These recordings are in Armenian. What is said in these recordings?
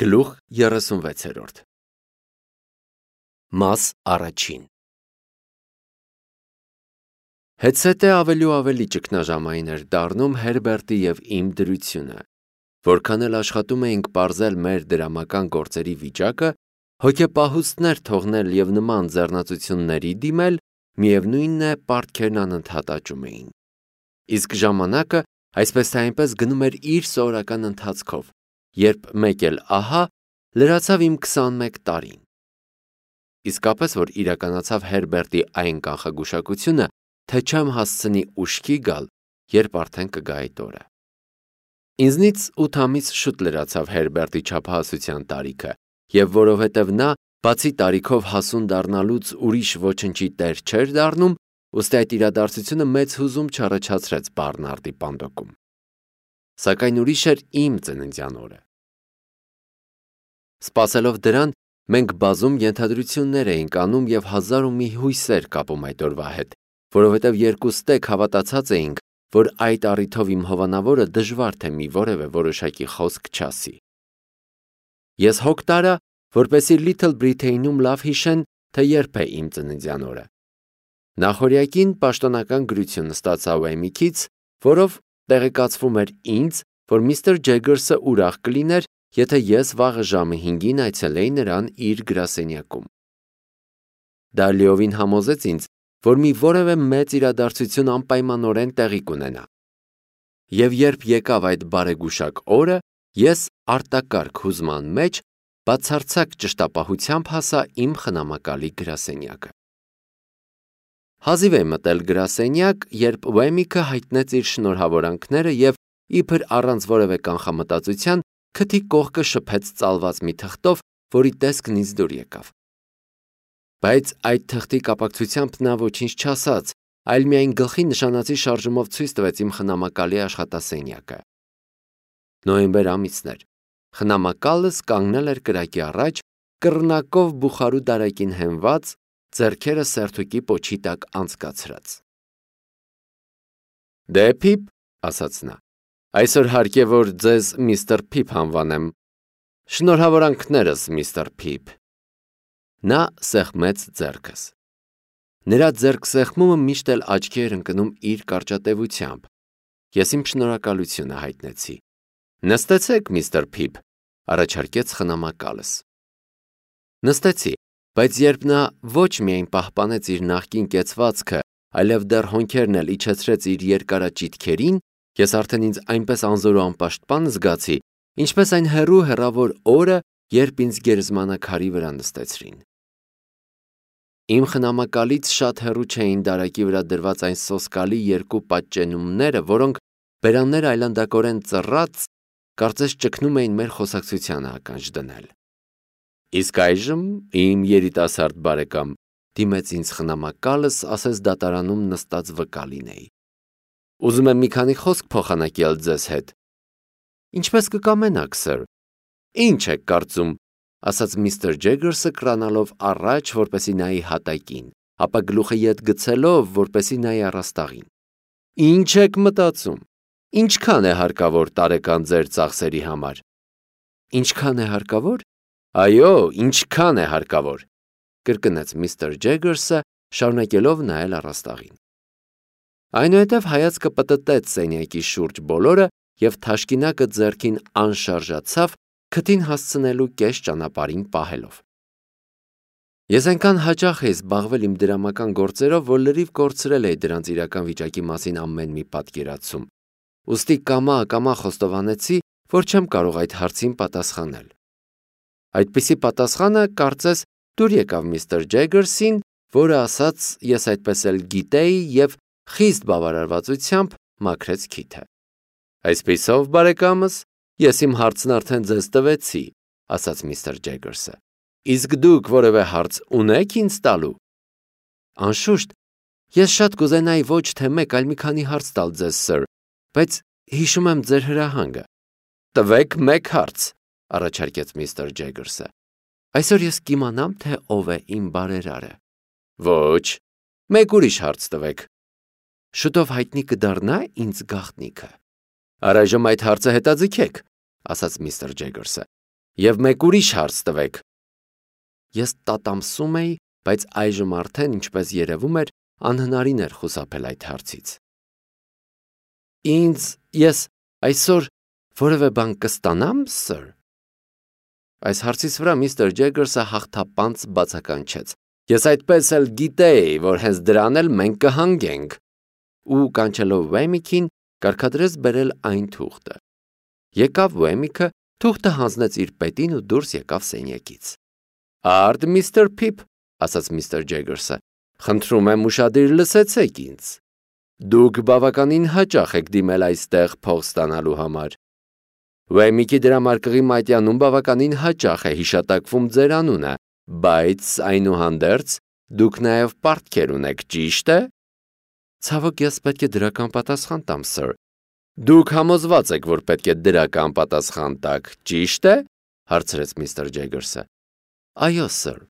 Գլուխ 36 Մաս առաջին Հետսետե ավելի ու ավելի ճգնաժամային էր դառնում Հերբերտի և իմ դրությունը, որքան էլ աշխատում էինք պարզել մեր դրամական գործերի վիճակը, հոգեպահուստներ թողնել և նման ձեռնածությունների դիմել, միևնույնն է, պարտքերն անընդհատ աճում էին։ Իսկ ժամանակը այսպես թե այնպես գնում էր իր սովորական ընթացքով, երբ մեկ էլ ահա լրացավ իմ 21 տարին։ Իսկապես որ իրականացավ Հերբերտի այն կանխագուշակությունը, թե չեմ հասցնի ուշքի գալ, երբ արդեն կգա այդ օրը։ Ինձնից 8 ամիս շուտ լրացավ Հերբերտի չափահասության տարիքը, և որովհետև նա, բացի տարիքով հասուն դառնալուց ուրիշ ոչնչի տեր չէր դառնում, ուստի այդ իրադարձությունը մեծ հուզում չառաջացրեց Բարնարդի պանդոկում։ Սակայն ուրիշ էր իմ ծննդյան օրը։ Սպասելով դրան, մենք բազում ենթադրություններ էինք անում և հազար ու մի հույսեր կապում այդ օրվա հետ, որովհետև երկուստեք հավատացած էինք, որ այդ առիթով իմ հովանավորը դժվար թե մի որևէ որոշակի խոսք չասի։ Ես հոգ տարա, որպեսզի Լիթլ Բրիթեյնում լավ հիշեն, թե երբ է իմ ծննդյան օրը։ Նախօրյակին պաշտոնական գրություն ստացա Ուեմիքից, որով տեղեկացվում էր ինձ, որ միստր Ջեգերսը ուրախ կլիներ, եթե ես վաղը ժամը 5-ին այցելեի նրան իր գրասենյակում։ Դա լիովին համոզեց ինձ, որ մի որևէ մեծ իրադարձություն անպայմանորեն տեղի կունենա։ Եվ երբ եկավ այդ բարեգուշակ օրը, ես արտակարգ հուզման մեջ բացարձակ ճշտապահությամբ հասա իմ խնամակալի գրասենյակը։ Հազիվ էի մտել գրասենյակ, երբ Ուեմիքը հայտնեց իր շնորհավորանքները և իբր առանց որևէ կանխամտածության քթի կողքը շփեց ծալված մի թղթով, որի տեսքն ինձ դուր եկավ։ Բայց այդ թղթի կապակցությամբ նա ոչինչ չասաց, այլ միայն գլխի նշանածի շարժումով ցույց տվեց իմ խնամակալի աշխատասենյակը։ Նոյեմբեր ամիսն էր։ Խնամակալս կանգնել էր կրակի առաջ, կռնակով բուխարու դարակին հենված, ձեռքերը սերթուկի պոչի տակ անցկացրած։ Դե Փիփ, ասաց նա, այսօր հարկ է, որ ձեզ միստր Փիփ անվանեմ։ Շնորհավորանքներս, միստր Փիփ։ Նա սեղմեց ձեռքս։ Նրա ձեռքսեղմումը միշտ էլ աչքի էր ընկնում իր կարճատևությամբ։ Ես իմ շնորհակալությունը հայտնեցի։ Նստեցեք, միստր Փիփ, առաջարկեց խնամակալս։ Նստեցի, բայց երբ նա ոչ միայն պահպանեց իր նախկին կեցվածքը, այլև դեռ հոնքերն էլ իջեցրեց իր երկարաճիթքերին, ես արդեն ինձ այնպես անզոր ու անպաշտպան զգացի, ինչպես այն հեռու հեռավոր օրը, երբ ինձ գերեզմանակարի վրա նստեցրին։ Իմ խնամակալից շատ հեռու չէին դարակի վրա դրված այն սոսկալի երկու պատճենումները, որոնք բերաններ այլանդակորեն ծռած, կարծես ճգնում էին մեր խոսակցությանը ականջ դնել։ Իսկ այժմ, իմ երիտասարդ բարեկամ, դիմեց ինձ խնամակալս, ասես դատարանում նստած վկա լինեի։ Ուզում եմ մի քանի խոսք փոխանակել ձեզ հետ։ Ինչպես կկամենաք, սըր։ Ինչ եք կարծում, ասաց միստր Ջեգերսը կրանալով առաջ, որպեսզի նայի հատակին, ապա գլուխը ետ գցելով, որպեսզի նայի առաստաղին։ Ինչ եք մտածում։ Ինչքան է հարկավոր տարեկան ձեր ծախսերի համար։ Ինչքան է հարկավոր։ Այո, ինչքան է հարկավոր, կրկնեց միստր Ջեգերսը, շարունակելով նայել առաստաղին։ Այնուհետև հայացքը պտտեց սենյակի շուրջ բոլորը և թաշկինակը ձեռքին անշարժացավ, քթին հասցնելու կես ճանապարհին պահելով։ Ես այնքան հաճախ էի զբաղվել իմ դրամական գործերով, որ լրիվ կորցրել էի դրանց իրական վիճակի մասին ամեն մի պատկերացում, ուստի կամա խոստովանեցի, որ չեմ կարող այդ հարցին պատասխանել։ Այդպիսի պատասխանը, կարծես, դուր եկավ միստր Ջեգերսին, որը ասաց, ես այդպես էլ գիտեի և խիստ բավարարվածությամբ մաքրեց քիթը։ Այսպիսով, բարեկամս, ես իմ հարցն արդեն ձեզ տվեցի, ասաց միստր Ջեգերսը։ Իսկ դուք որևէ հարց ունեք ինձ տալու։ Անշուշտ, ես շատ կուզենայի ոչ թե մեկ, այլ մի քանի հարց տալ ձեզ, սըր, բայց հիշում եմ ձեր հրահանգը։ Տվեք մեկ հարց, առաջարկեց միստր Ջեգերսը։ Այսօր ես կիմանամ, թե ով է իմ բարերարը։ Ոչ, մեկ ուրիշ հարց տվեք։ Շուտով հայտնի կդառնա ինձ գաղտնիքը։ Առայժմ այդ հարցը հետաձգեք, ասաց միստր Ջեգերսը։ Եվ մեկ ուրիշ հարց տվեք։ Ես տատամսում էի, բայց այժմ արդեն, ինչպես երևում էր, անհնարին էր խուսափել այդ հարցից։ Ես այսօր որևէ բան կստանամ, սըր։ Այս հարցից վրա միստր Ջեգերսը հաղթապանց բացականչեց։ Ես այդպես էլ գիտեի, որ հենց դրան էլ մենք կհանգենք, ու կանչելով Վեմիքին, կարգադրեց բերել այն թուղթը։ Եկավ Վեմիքը, թուղթը հանձնեց իր պետին ու դուրս եկավ սենյակից։ Արդ միստր Փիփ, ասաց միստր Ջեգերսը, խնդրում եմ ուշադիր լսեցեք ինձ։ Դուք բավականին հաճախ եք դիմել այստեղ փող ստանալու համար։ Վեմիքի դրամարկղի մատյանում բավականին հաճախ է հիշատակվում ձեր անունը, բայց այնուհանդերձ դուք նաև պարտքեր ունեք, ճիշտ է։ Ցավոք, ես պետք է դրական պատասխան տամ, սըր։ Դուք համոզված եք, որ պետք է դրական պատասխան տաք, ճիշտ է, հարցրեց միստր Ջեգերսը։ Այո, սըր։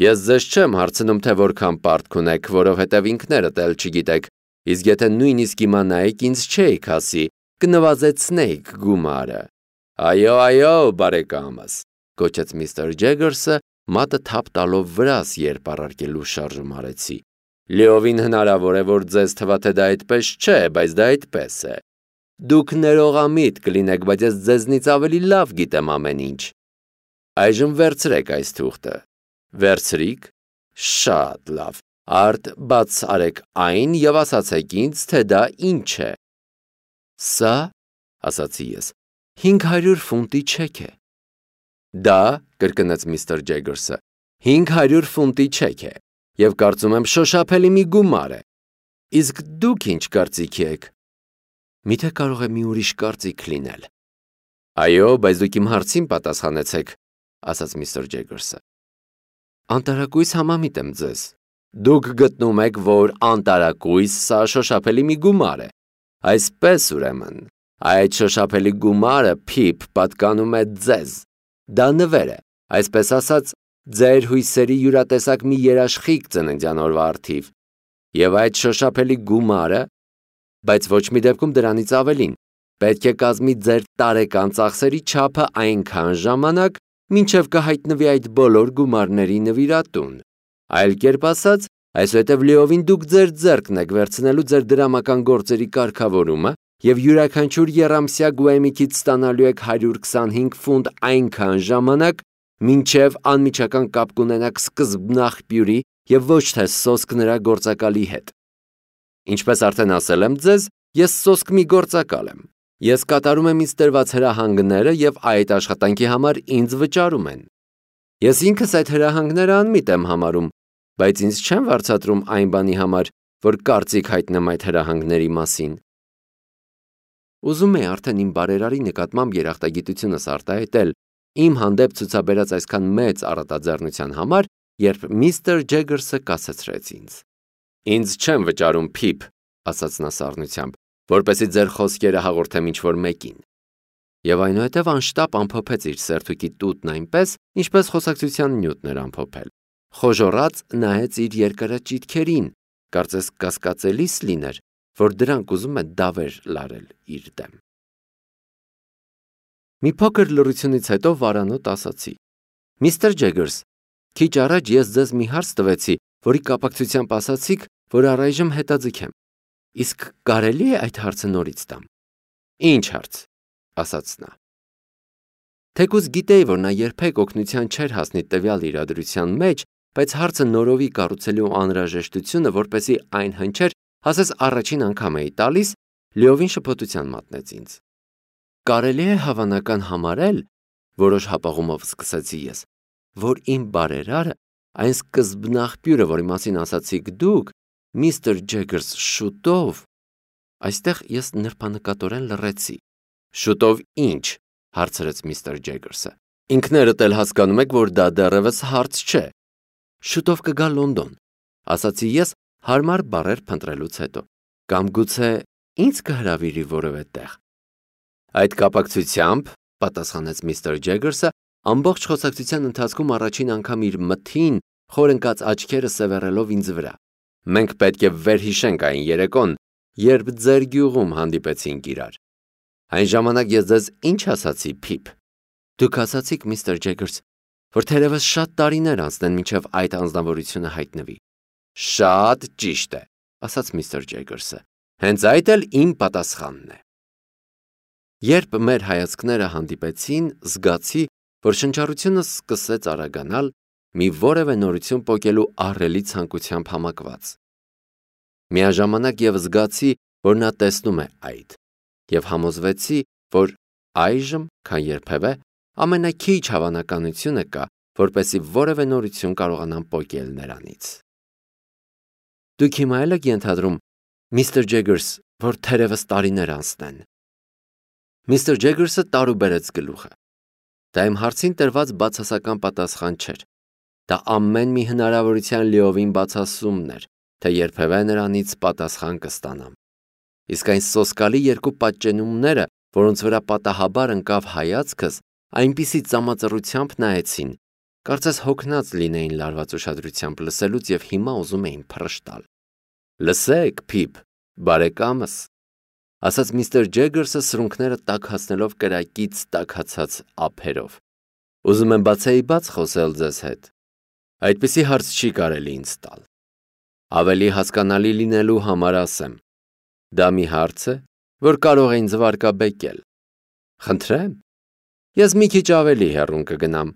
Ես ձեզ չեմ հարցնում, թե որքան պարտք ունեք, որովհետև ինքներդ էլ չգիտեք, իսկ եթե նույնիսկ իմանայիք, ինձ չէիք ասի, կնվազեցնեիք գումարը։ Այո, բարեկամս, գոչեց միստր Ջեգերսը, մատը թափ տալով վրաս, երբ առարկելու շարժում արեցի։ Լիովին հնարավոր է, որ ձեզ թվա, թե դա այդպես չէ, բայց դա այդպես է։ Դուք ներողամիտ կլինեք, բայց ես ձեզնից ավելի լավ գիտեմ ամեն ինչ։ Այժմ վերցրեք այս թուղթը։ Վերցրիք։ Շատ լավ։ Արդ բաց արեք այն եւ ասացեք ինձ, թե դա ինչ է։ Սա, ասացի ես, 500 ֆունտի չեք է։ Դա, կրկնեց միստր Ջեգերսը, 500 ֆունտի չեք է, եւ կարծում եմ շոշափելի մի գումար է։ Իսկ դուք ինչ կարծիքի եք։ Միթե կարող է մի ուրիշ կարծիք լինել։ Այո, բայց դուք իմ հարցին պատասխանեցեք, ասաց միստր Ջեգերսը։ Անտարակույս համամիտ եմ ձեզ։ Դուք գտնում եք, որ անտարակույս սա շոշափելի մի գումար է։ Այսպես ուրեմն, այդ շոշափելի գումարը Փիփ պատկանում է ձեզ։ Դա նվեր է, այսպես ասած, ձեր հույսերի յուրատեսակ մի երաշխիք ծննդյան օրվա առթիվ։ Եվ այդ շոշափելի գումարը, բայց ոչ մի դեպքում դրանից ավելին, պետք է կազմի ձեր տարեկան ծախսերի չափը այնքան ժամանակ, մինչև կհայտնվի այդ բոլոր գումարների նվիրատուն։ Այլ կերպ ասած, այսուհետև լիովին դուք ձեր ձեռքն եք վերցնելու ձեր դրամական գործերի կարգավորումը եւ յուրաքանչյուր եռամսյա Գուեմիքից ստանալու եք 125 ֆունտ այնքան ժամանակ, մինչև անմիջական կապ կունենաք սկզբնաղբյուրի եւ ոչ թե սոսկ նրա գործակալի հետ։ Ինչպես արդեն ասել եմ ձեզ, ես սոսկ մի գործակալ եմ։ Ես կատարում եմ ինձ տրված հրահանգները եւ այդ աշխատանքի համար ինձ վճարում են։ Ես ինքս այդ հրահանգները անմիտ եմ համարում, բայց ինձ չեն վարձատրում այն բանի համար, որ կարծիք հայտնեմ այդ հրահանգների մասին։ Ուզում եի արդեն իմ բարերարի նկատմամբ երախտագիտությունս արտահայտել իմ հանդեպ ցուցաբերած այսքան մեծ առատաձեռնության համար, երբ միստր Ջեգերսը կասեցրեց ինձ։ Ինձ չեմ վճարում, Փիփ, ասաց նա սառնությամբ, որպեսզի ձեր խոսքերը հաղորդեմ ինչ-որ մեկին։ Եվ այնուհետև անշտապ ամփոփեց իր սերթուկի տուտն այնպես, ինչպես խոսակցության նյութն էր ամփոփել։ Խոժոռած նայեց իր երկարաճիթքերին, կարծես կասկածելիս լիներ, որ դրանք ուզում է դավեր լարել իր դեմ։ Մի փոքր լռությունից հետո վարանոտ ասացի. Միստր Ջեգերս, քիչ առաջ ես ձեզ մի հարց տվեցի, որի կապակցությամբ ասացիք, որ առայժմ հետաձգեմ։ Իսկ կարելի է այդ հարցը նորից տամ։ Ինչ հարց, ասաց նա։ Թեկուզ գիտեի, որ նա երբեք օգնության չէր հասնի տվյալ իրադրության մեջ, բայց հարցը նորովի կառուցելու անհրաժեշտությունը, որպեսզի այն հնչեր, ասես առաջին անգամ էի տալիս, լիովին շփոթության մատնեց ինձ։ Կարելի է հավանական համարել, որոշ հապաղումով սկսեցի ես, որ իմ բարերարը, այն սկզբնաղբյուրը, որի մասին ասացիք դուք, միստր Ջեգերս, շուտով, այստեղ ես նրբանկատորեն լռեցի։ Շուտով ինչ, հարցրեց միստր Ջեգերսը։ Ինքներդ էլ հասկանում եք, որ դա դեռևս հարց չէ։ Շուտով կգա Լոնդոն, ասացի ես հարմար բառեր փնտրելուց հետո, կամ գուցե ինձ կհրավիրի որևէ տեղ։ Այդ կապակցությամբ, պատասխանեց միստր Ջեգերսը, ամբողջ խոսակցության ընթացքում առաջին անգամ իր մթին, խորընկած աչքերը սևեռելով ինձ վրա։ Մենք պետք է վերհիշենք այն երեկոն, երբ ձեր գյուղում հանդիպեցինք իրար։ Այն ժամանակ ես ձեզ ինչ ասացի, Փիփ։ Դուք ասացիք, միստր Ջեգերս, որ թերևս շատ տարիներ անցնեն մինչև այդ անձնավորությունը հայտնվի։ Շատ ճիշտ է, ասաց միստր Ջեգերսը։ Հենց այդ էլ իմ պատասխանն է։ Երբ մեր հայացքները հանդիպեցին, զգացի, որ շնչառությունը սկսեց արագանալ, մի որևէ նորություն պոկելու ահռելի ցանկությամբ համակված։ Միաժամանակ և զգացի, որ նա տեսնում է այդ, և համոզվեցի, որ այժմ, քան երբևէ, ամենաքիչ հավանականությունը կա, որպեսզի որևէ նորություն կարողանամ պոկել նրանից։ Դուք հիմա էլ եք ենթադրում, միստր Ջեգերս, որ թերևս տարիներ անցնեն։ Միստր Ջեգերսը տարուբերեց գլուխը։ Դա իմ հարցին տրված բացասական պատասխան չէր։ Դա ամեն մի հնարավորության լիովին բացասումն էր, թե երբևէ նրանից պատասխան կստանամ։ Իսկ այն սոսկալի երկու պատճենումները, որոնց վրա պատահաբար ընկավ հայացքս, այնպիսի ծամածռությամբ նայեցին, կարծես հոգնած լինեին լարված ուշադրությամբ լսելուց և հիմա ուզում էին փռշտալ։ Լսեք, Փիփ, բարեկամս, ասաց միստր Ջեգերսը սրունքները տաքացնելով կրակից տաքացած ափերով։ Ուզում եմ բացեի բաց խոսել ձեզ հետ։ Այդպիսի հարց չի կարելի ինձ տալ։ Ավելի հասկանալի լինելու համար ասեմ։ Դա մի հարց է, որ կարող է ինձ վարկաբեկել։ Խնդրեմ, ես մի քիչ ավելի հեռուն կգնամ,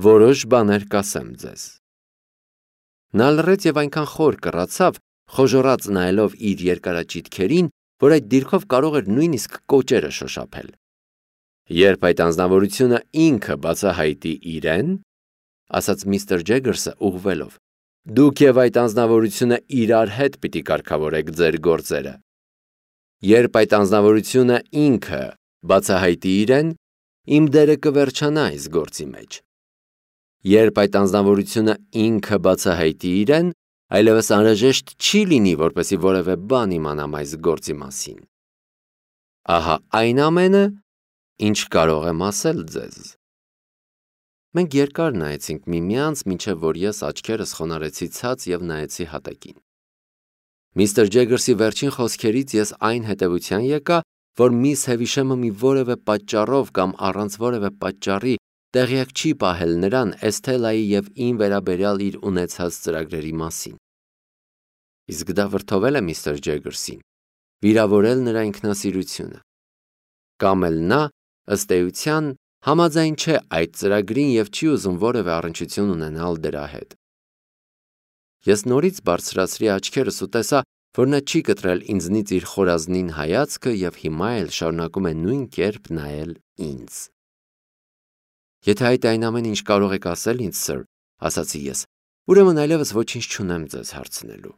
որոշ բաներ կասեմ ձեզ։ Նա լռեց և այնքան խոր կռացավ, խոժոռաց նայելով իր երկարաճիթքերին, որ այդ դիրքով կարող էր նույնիսկ կոճերը շոշափել։ Երբ այդ անձնավորությունը ինքը բացահայտի իրեն, ասաց միստր Ջեգերսը ուղղվելով, դուք և այդ անձնավորությունը իրար հետ պիտի կարգավորեք ձեր գործերը։ Երբ այդ անձնավորությունը ինքը բացահայտի իրեն, իմ դերը կվերջանա այս գործի մեջ։ Երբ այդ անձնավորությունը ինքը բացահայտի իրեն, այլևս անհրաժեշտ չի լինի, որպեսզի որևէ բան իմանամ այս գործի մասին։ Ահա այն ամենը, ինչ կարող եմ ասել ձեզ։ Մենք երկար նայեցինք միմյանց, մինչև որ ես աչքերս խոնարհեցի ցած և նայեցի հատակին։ Միստր Ջեգերսի վերջին խոսքերից ես այն հետևության եկա, որ միս Հևիշեմը մի որևէ պատճառով կամ առանց որևէ պատճառի տեղյակ չի պահել նրան Էսթելայի և իմ վերաբերյալ իր ունեցած ծրագրերի մասին։ Իսկ դա վրդովել է միստր Ջեգերսին, վիրավորել նրա ինքնասիրությունը։ Կամ էլ նա, ըստ էության, համաձայն չէ այդ ծրագրին և չի ուզում որևէ առնչություն ունենալ դրա հետ։ Ես նորից բարձրացրի աչքերս ու տեսա, որ նա չի կտրել ինձնից իր խորազնին հայացքը և հիմա էլ շարունակում է նույն կերպ նայել ինձ։ Եթե այդ այն ամեն ինչ կարող եք ասել ինձ, սըր, ասացի ես, ուրեմն այլևս ոչինչ չունեմ ձեզ հարցնելու։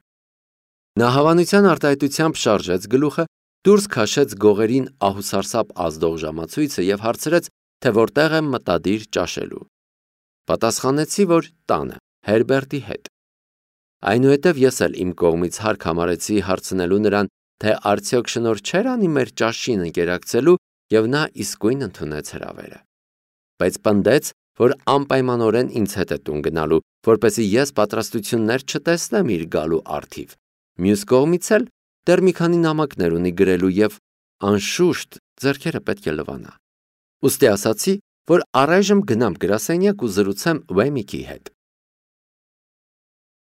Նա հավանության արտահայտությամբ շարժեց գլուխը, դուրս քաշեց գողերին ահուսարսափ ազդող ժամացույցը և հարցրեց, թե որտեղ եմ մտադիր ճաշելու։ Պատասխանեցի, որ տանը, Հերբերտի հետ։ Այնուհետև ես էլ իմ կողմից հարկ համարեցի հարցնելու նրան, թե արդյոք շնորհ չէր անի մեր ճաշին ընկերակցելու, և նա իսկույն ընդունեց հրավերը։ Բայց պնդեց, որ անպայմանորեն ինձ հետ է տուն գնալու, որպեսզի ես պատրաստություններ չտեսնեմ իր գալու առթիվ։ Մյուս կողմից էլ դեռ մի քանի նամակներ ունի գրելու և, անշուշտ, ձեռքերը պետք է լվանա։ Ուստի ասացի, որ առայժմ գնամ գրասենյակ ու զրուցեմ Ուեմիկի հետ։